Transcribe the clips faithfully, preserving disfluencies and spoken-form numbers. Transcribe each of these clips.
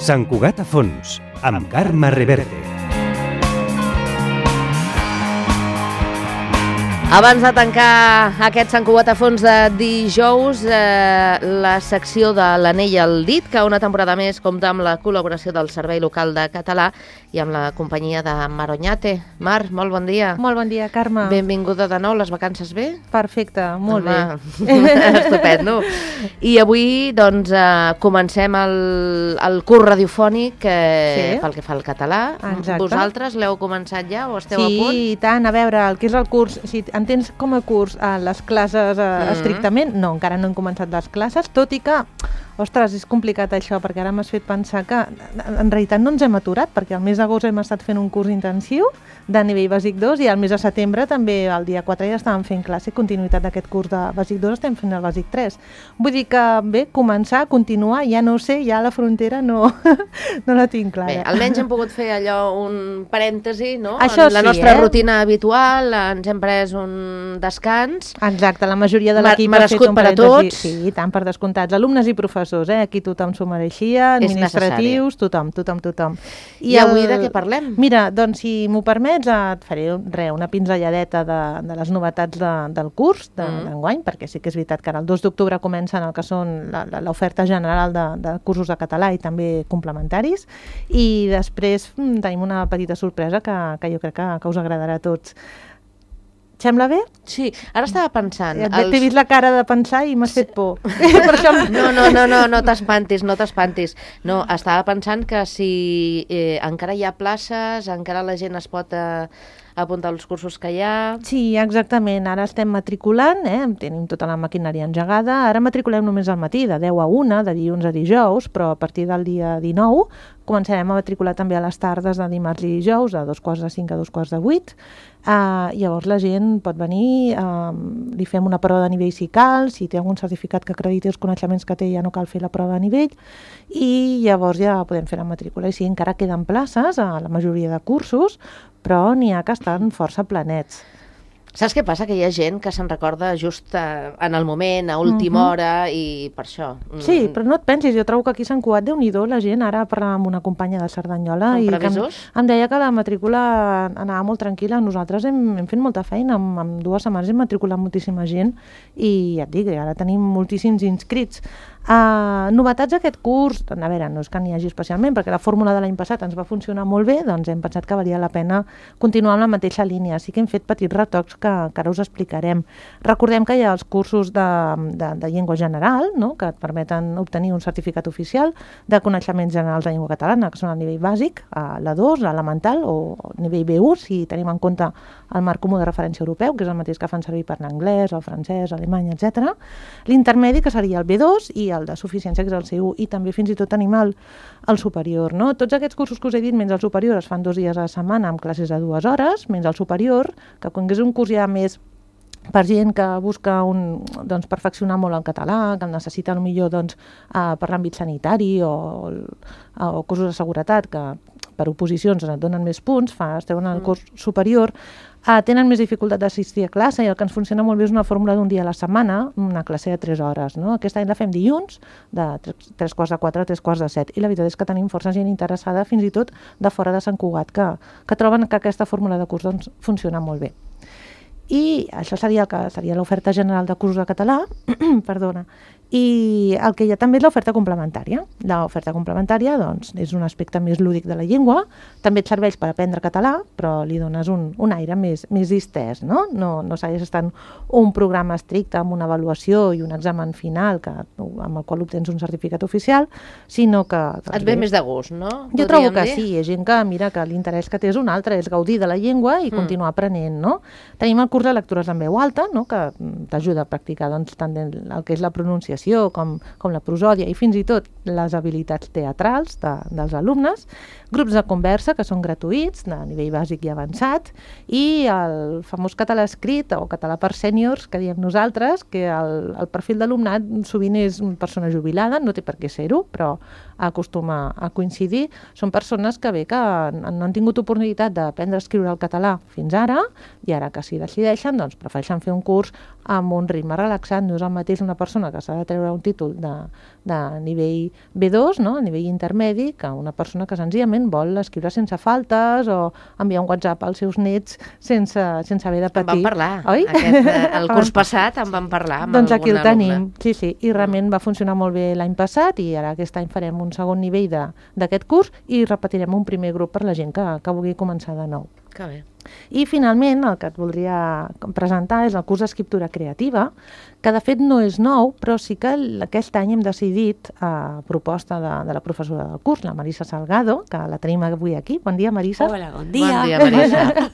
Sant Cugat a fons, amb Carme Reverte. Abans de tancar aquest Sant Cugat a fons de dijous, eh, la secció de l'Anell al dit, que una temporada més compta amb la col·laboració del Servei Local de Català i amb la companyia de Mar Oñate. Mar, molt bon dia. Molt bon dia, Carme. Benvinguda de nou, les vacances bé? Perfecte, molt Home, bé. Estupendo. I avui doncs, eh, comencem el, el curs radiofònic eh, Sí. pel que fa al català. Exacte. Vosaltres l'heu començat ja o esteu Sí, a punt? i tant. A veure, el que és el curs, si entens com a curs a les classes eh, Mhm. estrictament, no, encara no hem començat les classes, tot i que, ostres, és complicat això, perquè ara m'has fet pensar que en realitat no ens hem aturat, perquè al mes d'agost hem estat fent un curs intensiu de nivell bàsic dos i al mes de setembre també, el dia quatre, ja estàvem fent classe, continuïtat d'aquest curs de bàsic dos, estem fent el bàsic tres. Vull dir que, bé, començar, continuar, ja no ho sé, ja la frontera no, no la tinc clara. Bé, almenys hem pogut fer allò, un parèntesi, no? Això en la sí, nostra eh? rutina habitual, ens hem pres un descans. Exacte, la majoria de Mer- l'equip ha fet merescut un per a parèntesi. tots. Sí, tant per descomptats, alumnes i professors, eh? Aquí tothom s'ho mereixia, És administratius, tothom, tothom, tothom. I avui de què parlem? Mira, doncs si m'ho permets, et faré re, una pinzelladeta de, de les novetats de, del curs Mm. d'enguany, de, perquè sí que és veritat que ara el dos d'octubre comencen el que són la- la- l'oferta general de, de cursos de català i també complementaris, i després mm, tenim una petita sorpresa que, que jo crec que, que us agradarà a tots. Sembla bé? Sí, ara estava pensant... Ja T'he vist la cara de pensar i m'has fet por. Per això... No, no, no, no, no t'espantis, no t'espantis. No, estava pensant que si eh, encara hi ha places, encara la gent es pot eh, apuntar als cursos que hi ha... Sí, exactament. Ara estem matriculant, eh? Tenim tota la maquinària engegada. Ara matriculem només al matí, de deu a una, de dilluns a dijous, però a partir del dia dinou començarem a matricular també a les tardes de dimarts i dijous, de dos quarts de cinc a dos quarts de vuit. Uh, llavors la gent pot venir, uh, li fem una prova de nivell si cal, si té algun certificat que acrediti els coneixements que té ja no cal fer la prova de nivell, i llavors ja podem fer la matrícula. I sí, encara queden places a la majoria de cursos, però n'hi ha que estan força planets. Saps què passa? Que hi ha gent que se'n recorda just eh, en el moment, a última Mhm. hora, i per això... mm, Sí, però no et pensis, jo trobo que aquí a Sant Cugat, Déu-n'hi-do, la gent, ara parlàvem amb una companya de Cerdanyola, Són i que em, previsors? em deia que la matrícula anava molt tranquil·la. Nosaltres hem, hem fet molta feina, en, en dues setmanes hem matriculat moltíssima gent, i ja et dic, ara tenim moltíssims inscrits. Uh, novetats d'aquest curs, a veure, no és que n'hi hagi especialment, perquè la fórmula de l'any passat ens va funcionar molt bé, doncs hem pensat que valia la pena continuar amb la mateixa línia. Sí que hem fet petits retocs que, que ara us explicarem. Recordem que hi ha els cursos de, de, de llengua general, no?, que et permeten obtenir un certificat oficial de coneixements generals de llengua catalana, que són el nivell bàsic, a l'A dos, l'elemental, o nivell B u, si tenim en compte el marc comú de referència europeu, que és el mateix que fan servir per l'anglès, el francès, l'alemany, etcètera. L'intermedi, que seria el B dos, i el de suficiència, que és el C u, i també fins i tot tenim el, el superior, no? Tots aquests cursos que us he dit, menys el superior, es fan dos dies a la setmana amb classes de dues hores, menys el superior, que quan és un curs ja més per gent que busca un, doncs, perfeccionar molt el català, que el necessita millor doncs, eh, per l'àmbit sanitari o, o cursos de seguretat, que per oposicions et donen més punts, fa, esteu en el curs superior, eh, tenen més dificultat d'assistir a classe, i el que ens funciona molt bé és una fórmula d'un dia a la setmana, una classe de tres hores. No? Aquest any la fem dilluns, de tres, tres quarts de quatre a tres quarts de set, i la veritat és que tenim força gent interessada, fins i tot de fora de Sant Cugat, que, que troben que aquesta fórmula de curs doncs, funciona molt bé. I això seria el que seria l'oferta general de cursos de català, perdona, i el que hi ha també és l'oferta complementària. L'oferta complementària doncs, és un aspecte més lúdic de la llengua, també et serveix per aprendre català, però li dones un, un aire més, més distès, no? No, no segueix estant un programa estricte amb una avaluació i un examen final que, amb el qual obtens un certificat oficial, sinó que... Doncs, Et ve més de gust, no? Jo trobo Podríem que dir? sí, hi ha gent que mira que l'interès que té és un altre, és gaudir de la llengua i Mm. continuar aprenent, no? Tenim el curs de lectures en veu alta, no?, que t'ajuda a practicar doncs, tant el que és la pronunciació com, com la prosòdia i fins i tot les habilitats teatrals de, dels alumnes, grups de conversa que són gratuïts, de nivell bàsic i avançat, i el famós català escrit o català per sèniors, que diem nosaltres, que el, el perfil d'alumnat sovint és una persona jubilada, no té per què ser-ho, però acostuma a coincidir. Són persones que bé que no han tingut oportunitat d'aprendre a escriure el català fins ara, i ara que s'hi decideixen, doncs prefereixen fer un curs amb un ritme relaxat. No és el mateix una persona que s'ha de treure un títol de, de nivell B dos, no? A nivell intermedi, que una persona que senzillament vol escriure sense faltes o enviar un WhatsApp als seus nets sense, sense haver de patir. En vam parlar, oi? Aquest, el curs passat en vam parlar amb doncs aquí el algun tenim, alumne. sí, sí, i realment va funcionar molt bé l'any passat i ara aquest any farem un segon nivell d'aquest curs i repetirem un primer grup per la gent que, que vulgui començar de nou. Que bé. I finalment el que et voldria presentar és el curs d'escriptura creativa, que de fet no és nou, però sí que aquest any hem decidit, a proposta de, de la professora del curs, la Marisa Salgado, que la tenim avui aquí. Bon dia, Marisa. Hola, bon dia. Bon dia, Marisa.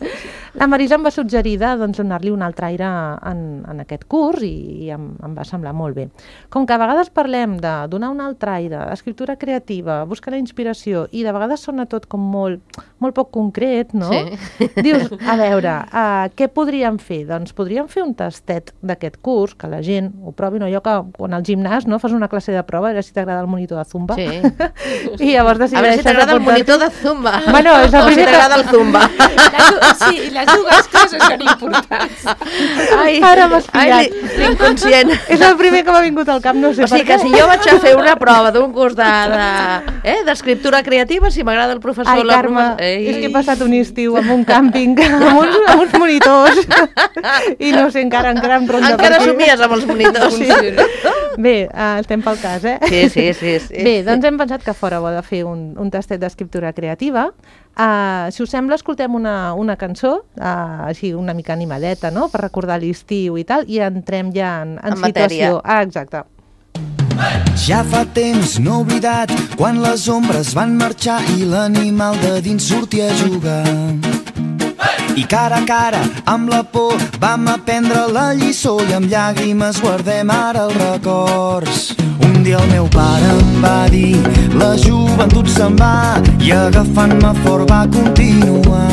La Marisa em va suggerir de doncs, donar-li un altre aire en, en aquest curs i, i em, em va semblar molt bé. Com que a vegades parlem de donar un altre aire, escriptura creativa, buscar la inspiració, i de vegades sona tot com molt, molt poc concret, no? Sí. Dius, a veure, uh, què podríem fer? Doncs podríem fer un tastet d'aquest curs, que la gent ho provi, no? Allò que quan al gimnàs no, fas una classe de prova, a veure si t'agrada el monitor de Zumba. Sí. I llavors decideixes A veure si t'agrada el monitor de Zumba. Bueno, és el o si primer que- t'agrada el Zumba. Les, sí, les dues coses són importants. Ai, Ara m'has ai, pillat. li- l'inconscient. És el primer que m'ha vingut al cap, no sé O sigui per que què. si jo vaig a fer una prova d'un curs de, de, eh, d'escriptura creativa, si m'agrada el professor... Ai, la Carme, profe- Ei. és que he passat un estiu amb un càmping, amb uns, amb uns monitors, i no sé, encara, encara em ronda Encara per aquí. somies amb els monitors. Sí. Bé, uh, estem pel cas, eh? Sí, sí, sí, sí. Bé, doncs hem pensat que fora bo de fer un, un tastet d'escriptura creativa. Uh, si us sembla, escoltem una, una cançó, uh, així una mica animadeta, no?, per recordar l'estiu i tal, i entrem ja en, en, En matèria. situació. Ah, exacte. Ja fa temps no he oblidat quan les ombres van marxar i l'animal de dins sortia a jugar. I cara a cara, amb la por, vam aprendre la lliçó i amb llàgrimes guardem ara els records. Un dia el meu pare em va dir, la joventut se'n va, i agafant-me fort va continuar.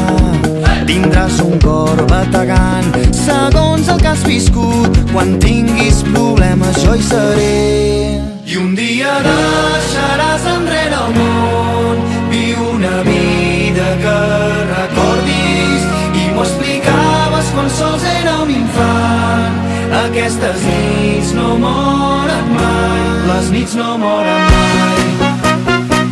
Tindràs un cor bategant, segons el que has viscut, quan tinguis problemes jo hi seré. I un dia deixaràs enrere el món, viu una vida que recordis, i m'ho explicaves quan sols era un infant. Aquestes nits no moren mai, les nits no moren mai.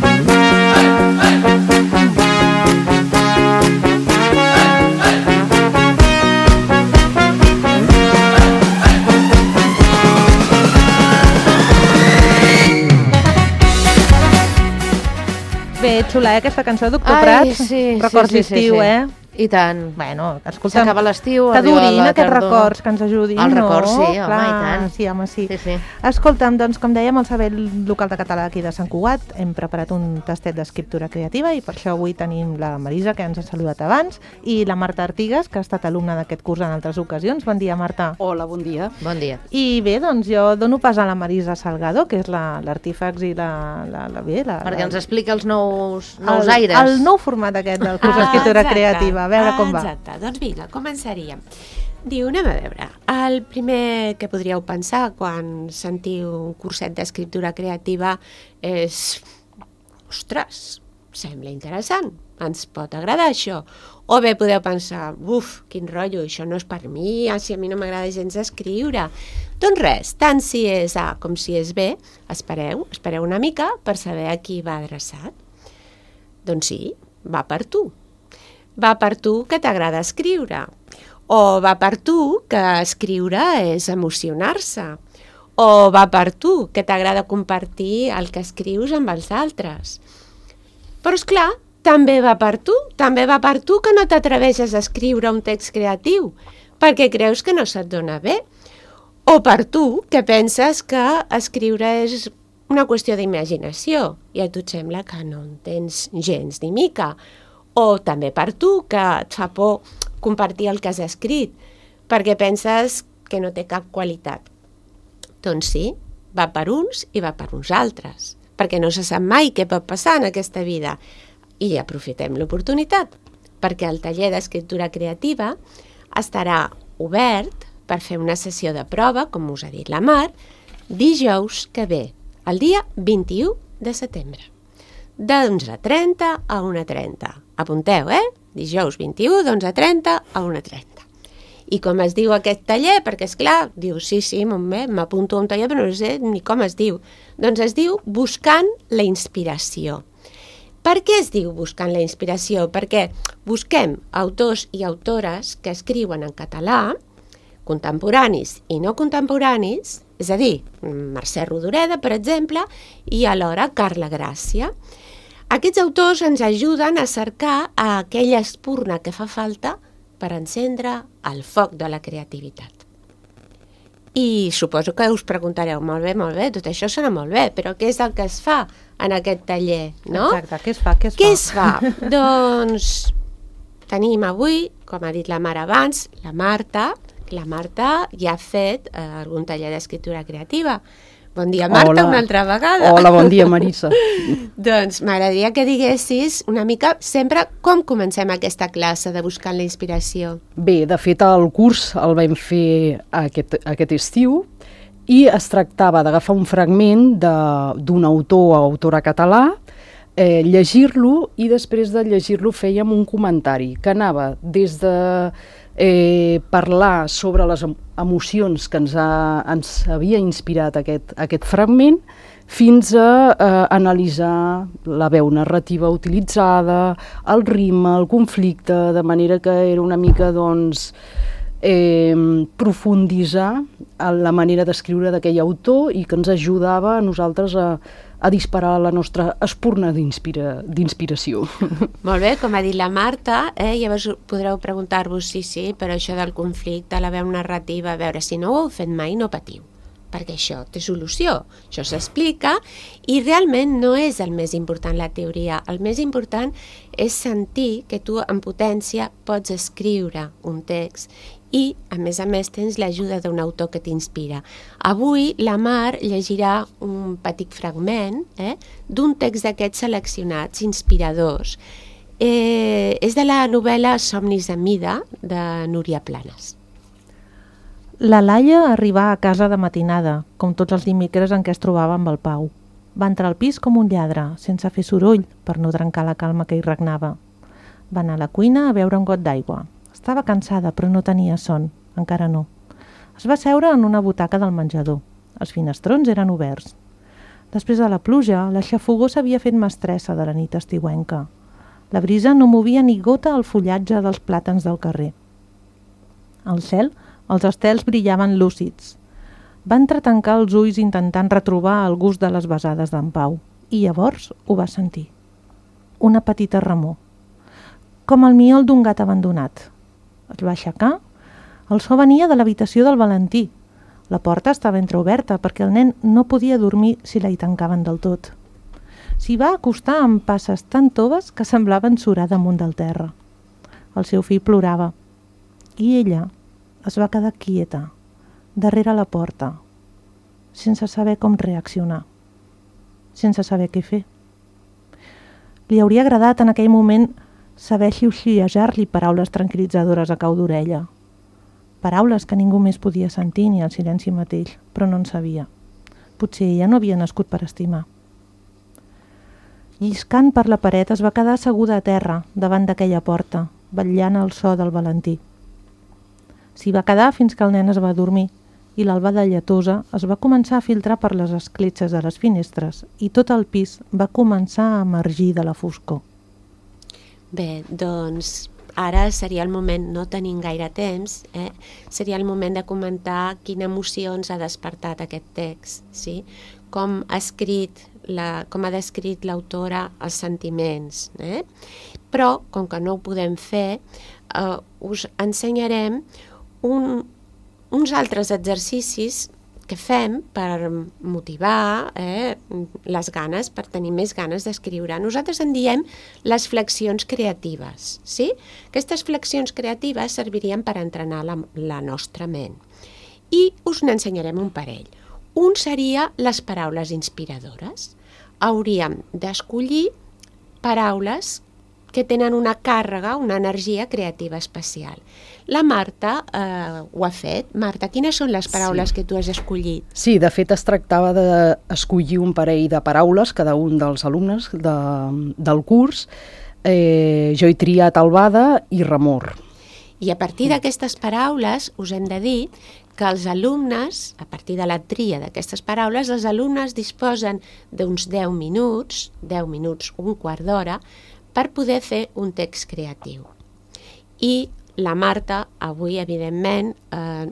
Bé, xula, eh, aquesta cançó, doctor Ai, Prats? sí, Records sí, sí, sí, d'estiu, sí. eh? I tant. Bueno, escolta'm, S'acaba l'estiu, que arriba durin la aquests tardor. records, que ens ajudin, Els no? records, sí, home, Clar, i tant. Sí, home, sí. Sí, sí. Escolta'm, doncs, com dèiem, al Servei Local de Català aquí de Sant Cugat hem preparat un tastet d'escriptura creativa i per això avui tenim la Marisa, que ens ha saludat abans, i la Marta Artigas, que ha estat alumna d'aquest curs en altres ocasions. Bon dia, Marta. Hola, bon dia. Bon dia. I bé, doncs jo dono pas a la Marisa Salgado, que és l'artífex i la, la, la, bé, la, Perquè la, ens explica els nous, nous el, aires. el nou format aquest del curs d'escriptura exacte. creativa. A veure com va. Exacte, doncs vinga, començaríem. Diu, anem a veure, el primer que podríeu pensar quan sentiu un curset d'escriptura creativa és, ostres, sembla interessant, ens pot agradar això. O bé podeu pensar, uf, quin rotllo, això no és per mi, ah, si a mi no m'agrada gens escriure. Doncs res, tant si és A com si és B, espereu, espereu una mica per saber a qui va adreçat. Doncs sí, va per tu. Va per tu que t'agrada escriure. O va per tu que escriure és emocionar-se. O va per tu que t'agrada compartir el que escrius amb els altres. Però, és clar, també va per tu, també va per tu que no t'atreveixes a escriure un text creatiu, perquè creus que no se't dona bé. O per tu que penses que escriure és una qüestió d'imaginació i a tu et sembla que no en tens gens ni mica. O també per tu que et fa por compartir el que has escrit, perquè penses que no té cap qualitat. Doncs sí, va per uns i va per uns altres, perquè no se sap mai què pot passar en aquesta vida. I aprofitem l'oportunitat, perquè el taller d'escriptura creativa estarà obert per fer una sessió de prova, com us ha dit la Mar, dijous que ve, el dia vint-i-u de setembre, d'onze trenta a una trenta. Apunteu, eh? Dijous vint-i-u, d'onze trenta a una trenta. I com es diu aquest taller? Perquè, és clar, diu, sí, sí, m'apunto a un taller, però no sé ni com es diu. Doncs es diu Buscant la inspiració. Per què es diu Buscant la inspiració? Perquè busquem autors i autores que escriuen en català, contemporanis i no contemporanis, és a dir, Mercè Rodoreda, per exemple, i alhora Carla Gràcia. Aquests autors ens ajuden a cercar aquella espurna que fa falta per encendre el foc de la creativitat. I suposo que us preguntareu, molt bé, molt bé, tot això sona molt bé, però què és el que es fa en aquest taller, no? Exacte, què es fa? Què es què fa? es fa? Doncs tenim avui, com ha dit la Mar abans, la Marta. La Marta ja ha fet eh, algun taller d'escriptura creativa. Bon dia, Marta, Hola. una altra vegada. Hola, bon dia, Marissa. Doncs m'agradaria que diguessis una mica sempre com comencem aquesta classe de Buscant la inspiració. Bé, de fet, el curs el vam fer aquest, aquest estiu i es tractava d'agafar un fragment de- d'un autor o autora català, eh, llegir-lo i després de llegir-lo fèiem un comentari que anava des de eh, parlar sobre les em- emocions que ens, ha, ens havia inspirat aquest, aquest fragment fins a eh, analitzar la veu narrativa utilitzada, el ritme, el conflicte, de manera que era una mica, doncs, eh, profunditzar en la manera d'escriure d'aquell autor i que ens ajudava a nosaltres a, a disparar la nostra espurna d'inspira, d'inspiració. Molt bé, com ha dit la Marta, eh, llavors podreu preguntar-vos, sí, sí, però això del conflicte, la veu narrativa, a veure, si no ho heu fet mai, no patiu, perquè això té solució, això s'explica, i realment no és el més important la teoria, el més important és sentir que tu en potència pots escriure un text i, a més a més, tens l'ajuda d'un autor que t'inspira. Avui la Mar llegirà un petit fragment eh, d'un text d'aquests seleccionats, inspiradors. Eh, és de la novel·la Somnis de Mida, de Núria Planes. La Laia arribà a casa de matinada, com tots els dimecres en què es trobava amb el Pau. Va entrar al pis com un lladre, sense fer soroll, per no trencar la calma que hi regnava. Va anar a la cuina a beure un got d'aigua. Estava cansada, però no tenia son, encara no. Es va seure en una butaca del menjador. Els finestrons eren oberts. Després de la pluja, la xafogor s'havia fet mestressa de la nit estiuenca. La brisa no movia ni gota al fullatge dels plàtans del carrer. Al cel, els estels brillaven lúcids. Va entretancar els ulls intentant retrobar el gust de les besades d'en Pau, i llavors ho va sentir. Una petita remor, com el miol d'un gat abandonat. Es va aixecar. El so venia de l'habitació del Valentí. La porta estava entreoberta perquè el nen no podia dormir si la hi tancaven del tot. S'hi va acostar amb passes tan toves que semblaven surar damunt del terra. El seu fill plorava i ella es va quedar quieta, darrere la porta, sense saber com reaccionar, sense saber què fer. Li hauria agradat en aquell moment saber xiuxiuejar-li paraules tranquil·litzadores a cau d'orella. Paraules que ningú més podia sentir ni el silenci mateix, però no en sabia. Potser ella no havia nascut per estimar. Lliscant per la paret es va quedar asseguda a terra davant d'aquella porta, vetllant el so del Valentí. S'hi va quedar fins que el nen es va dormir i l'albada lletosa es va començar a filtrar per les escletxes de les finestres i tot el pis va començar a emergir de la foscor. Bé, doncs ara seria el moment, no tenim gaire temps, eh? seria el moment de comentar quina emoció ens ha despertat aquest text, sí? Com ha escrit, la, com ha descrit l'autora els sentiments. Eh? Però, com que no ho podem fer, eh, us ensenyarem un, uns altres exercicis que fem per motivar eh, les ganes, per tenir més ganes d'escriure. Nosaltres en diem les flexions creatives. Sí? Aquestes flexions creatives servirien per entrenar la, la nostra ment. I us n'ensenyarem un parell. Un seria les paraules inspiradores. Hauríem d'escollir paraules que tenen una càrrega, una energia creativa especial. La Marta eh, ho ha fet. Marta, quines són les paraules sí. que tu has escollit? Sí, de fet es tractava d'escollir un parell de paraules, cada un dels alumnes de, del curs. Eh, jo he triat albada i remor. I a partir d'aquestes paraules us hem de dir que els alumnes, a partir de la tria d'aquestes paraules, els alumnes disposen d'uns deu minuts, deu minuts, un quart d'hora, per poder fer un text creatiu. I la Marta avui, evidentment, eh,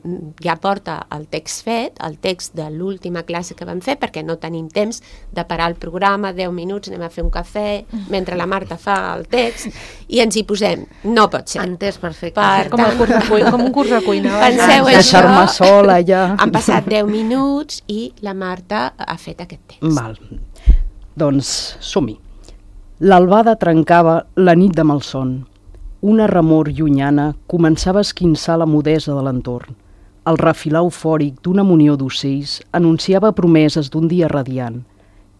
ja porta el text fet, el text de l'última classe que vam fer, perquè no tenim temps de parar el programa, deu minuts, anem a fer un cafè, mentre la Marta fa el text, i ens hi posem. No pot ser. Entès perfecte. Per Com, el curs de cuina, com un curs de cuina. Penseu això, Deixar-me sola ja. han passat deu minuts i la Marta ha fet aquest text. Val. Doncs som-hi. L'albada trencava la nit de malson. Una remor llunyana començava a esquinçar la mudesa de l'entorn. El refilar eufòric d'una munió d'ocells anunciava promeses d'un dia radiant.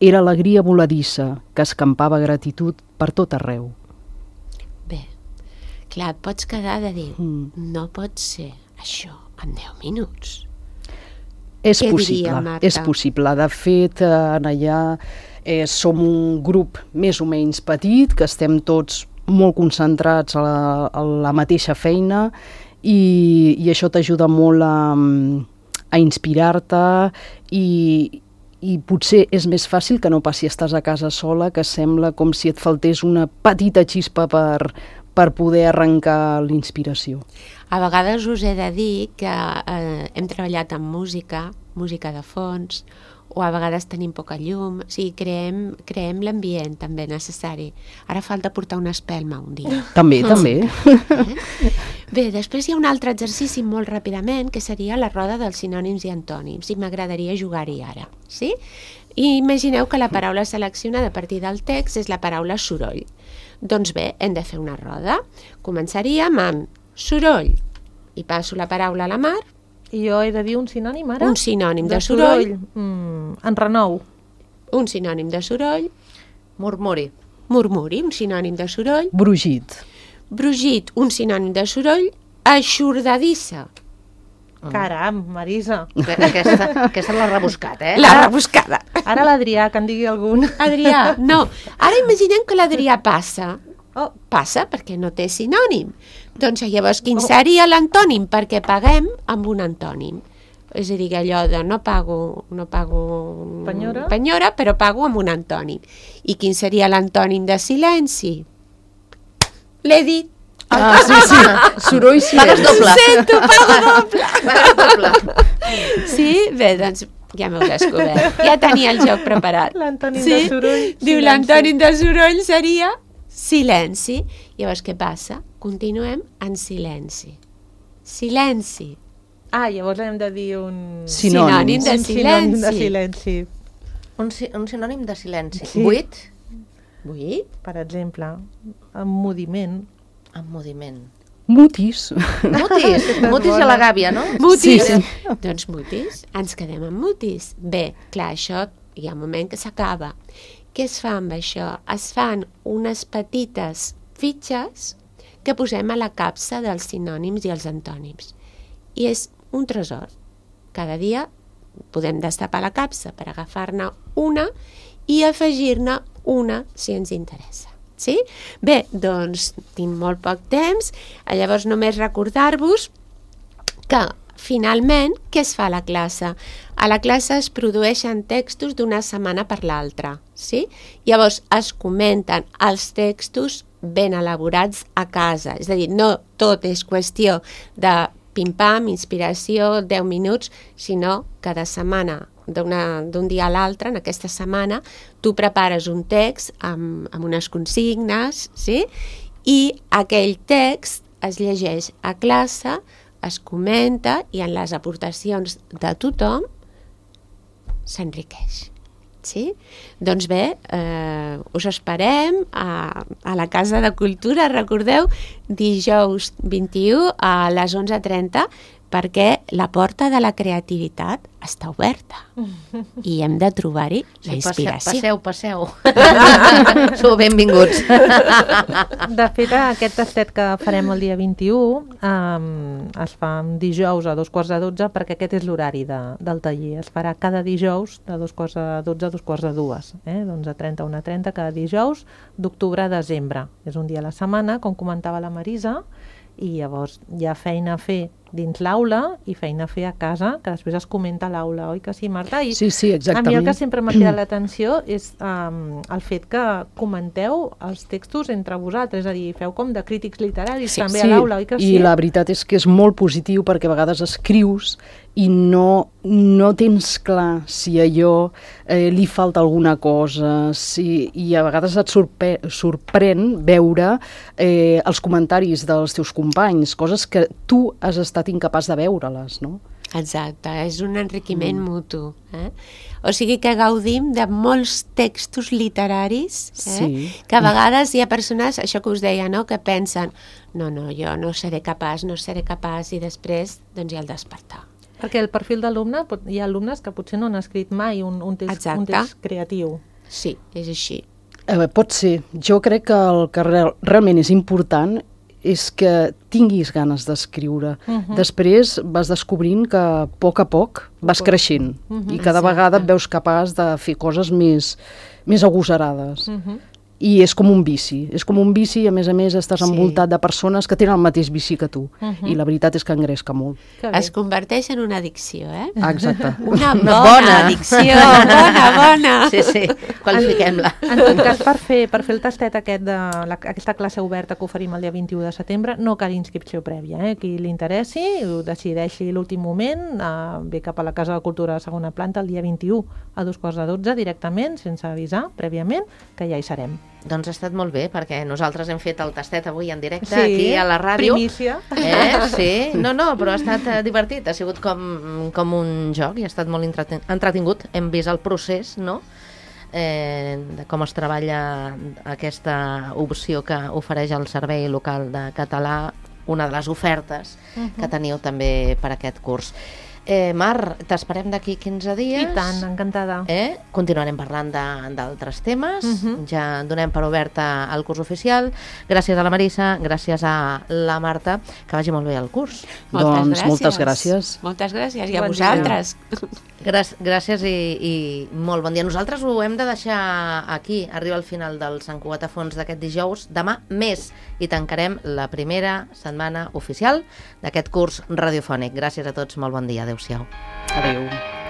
Era alegria voladissa que escampava gratitud per tot arreu. Bé, clar, et pots quedar de dir, Mm. no pot ser això en deu minuts. És Què diria, possible, Marta? és possible. De fet, eh, en allà eh, som un grup més o menys petit, que estem tots molt concentrats a la, a la mateixa feina i, i això t'ajuda molt a, a inspirar-te i, i potser és més fàcil que no passi, estàs a casa sola, que sembla com si et faltés una petita xispa per, per poder arrencar l'inspiració. A vegades us he de dir que eh, hem treballat amb música, música de fons, o a vegades tenim poca llum, o sigui, creem, creem l'ambient també necessari. Ara falta portar una espelma un dia. També, també. Eh? Bé, després hi ha un altre exercici molt ràpidament, que seria la roda dels sinònims i antònims, i m'agradaria jugar-hi ara. Sí? I imagineu que la paraula seleccionada a partir del text és la paraula soroll. Doncs bé, hem de fer una roda. Començaríem amb soroll, i passo la paraula a la Mar. I jo he de dir un sinònim ara? Un sinònim de, de soroll, soroll. Mm, enrenou. Un sinònim de soroll. Murmuri. Murmuri, un sinònim de soroll. Brugit. Brugit, un sinònim de soroll. Eixordadissa. Caram, Marisa. Aquesta, aquesta l'ha rebuscat, eh? La rebuscada. Ara l'Adrià, que en digui algun. Adrià, no. Ara imaginem que l'Adrià passa. Oh. Passa perquè no té sinònim. Doncs llavors quin seria l'antònim? Perquè paguem amb un antònim. És a dir, allò de no pago, no pago Penyora. penyora, però pago amb un antònim. I quin seria l'antònim de silenci? L'he dit. Ah, sí, sí. Soroll silenci. Pagues doble. Sento, pago doble. Pagues doble. Sí? Bé, doncs ja m'heu descobert. Ja tenia el joc preparat. L'antònim sí? de soroll. Diu silenci. l'antònim de soroll seria silenci. Llavors què passa? Continuem en silenci. Silenci. Ah, llavors hem de dir un... Sinònim. Sinònim de un sinònim de silenci. silenci. Un, si- un sinònim de silenci. Sí. Buit, Buit. Per exemple, emmudiment. emmudiment. Mutis. Mutis, mutis i a la gàbia, no? Mutis. Sí, Doncs mutis. Ens quedem amb mutis. Bé, clar, això hi ha un moment que s'acaba. Què es fa amb això? Es fan unes petites fitxes que posem a la capsa dels sinònims i els antònims. I és un tresor. Cada dia podem destapar la capsa per agafar-ne una i afegir-ne una si ens interessa. Sí? Bé, doncs tinc molt poc temps, llavors només recordar-vos que finalment què es fa a la classe? A la classe es produeixen textos d'una setmana per l'altra, sí? Llavors es comenten els textos ben elaborats a casa, és a dir, no tot és qüestió de pim-pam, inspiració, deu minuts, sinó cada setmana, d'un dia a l'altre, en aquesta setmana, tu prepares un text amb, amb unes consignes, sí? I aquell text es llegeix a classe, es comenta i en les aportacions de tothom s'enriqueix. Sí? Doncs bé, eh, us esperem a, a la Casa de Cultura, recordeu, dijous vint-i-u a les onze trenta, perquè la porta de la creativitat està oberta i hem de trobar-hi la inspiració. Passeu, passeu. Sou benvinguts. De fet, aquest tastet que farem el dia vint-i-u um, es fa dijous a dos quarts de dotze, perquè aquest és l'horari de, del taller. Es farà cada dijous de dos quarts de dotze a dos quarts de dues, eh? d'onze trenta a una trenta, cada dijous d'octubre a desembre. És un dia a la setmana, com comentava la Marisa, i llavors hi ha feina a fer dins l'aula i feina a fer a casa, que després es comenta a l'aula, oi que sí, Marta? I sí, sí, exactament. A mi el que sempre m'ha cridat l'atenció és um, el fet que comenteu els textos entre vosaltres, és a dir, feu com de crítics literaris sí, també sí. a l'aula, oi que sí? I la veritat és que és molt positiu perquè a vegades escrius i no, no tens clar si allò eh, li falta alguna cosa, si, i a vegades et sorpre sorprèn veure eh, els comentaris dels teus companys, coses que tu has estat incapaç de veure-les, no? Exacte, és un enriquiment mm. mutu. Eh? O sigui que gaudim de molts textos literaris, eh? Sí. Que a vegades hi ha persones, això que us deia, no? Que pensen, no, no, jo no seré capaç, no seré capaç, i després doncs hi ha el despertar. Perquè el perfil d'alumne, hi ha alumnes que potser no han escrit mai un, un, text, un text creatiu. Sí, és així. Eh, pot ser. Jo crec que el que real, realment és important és que tinguis ganes d'escriure. Uh -huh. Després vas descobrint que a poc a poc vas creixent uh -huh. i cada Exacte. vegada et veus capaç de fer coses més, més agosarades. Uh -huh. I és com un vici, és com un vici i a més a més estàs sí. envoltat de persones que tenen el mateix vici que tu uh -huh. i la veritat és que engresca molt. Es converteix en una addicció, eh? Exacte. Una bona, bona. addicció, bona, bona. Sí, sí, qualifiquem-la. En, en tot cas, per fer, per fer el tastet aquest de la, aquesta classe oberta que oferim el dia vint-i-u de setembre, no cal inscripció prèvia, eh? Qui li interessi, ho decideixi l'últim moment, eh, ve cap a la Casa de Cultura de segona planta el dia vint-i-u a dos quarts de dotze directament, sense avisar prèviament, que ja hi serem. Doncs ha estat molt bé, perquè nosaltres hem fet el tastet avui en directe, sí, aquí a la ràdio. Primícia. Eh? Sí, no, no, però ha estat eh, divertit, ha sigut com, com un joc i ha estat molt entretingut. Hem vist el procés, no?, eh, de com es treballa aquesta opció que ofereix el Servei Local de Català, una de les ofertes uh-huh. que teniu també per aquest curs. Eh, Mar, t'esperem d'aquí quinze dies. I tant, encantada. Eh? Continuarem parlant d'altres temes. Uh-huh. Ja donem per oberta el curs oficial. Gràcies a la Marissa, gràcies a la Marta. Que vagi molt bé el curs. Moltes doncs gràcies. moltes gràcies. Moltes gràcies, i a bon vosaltres. Gràcies, gràcies i, i molt bon dia. Nosaltres ho hem de deixar aquí. Arriba al final del Sant Cugat a Fons d'aquest dijous. Demà més. I tancarem la primera setmana oficial d'aquest curs radiofònic. Gràcies a tots, molt bon dia. Adéu-siau. Adéu.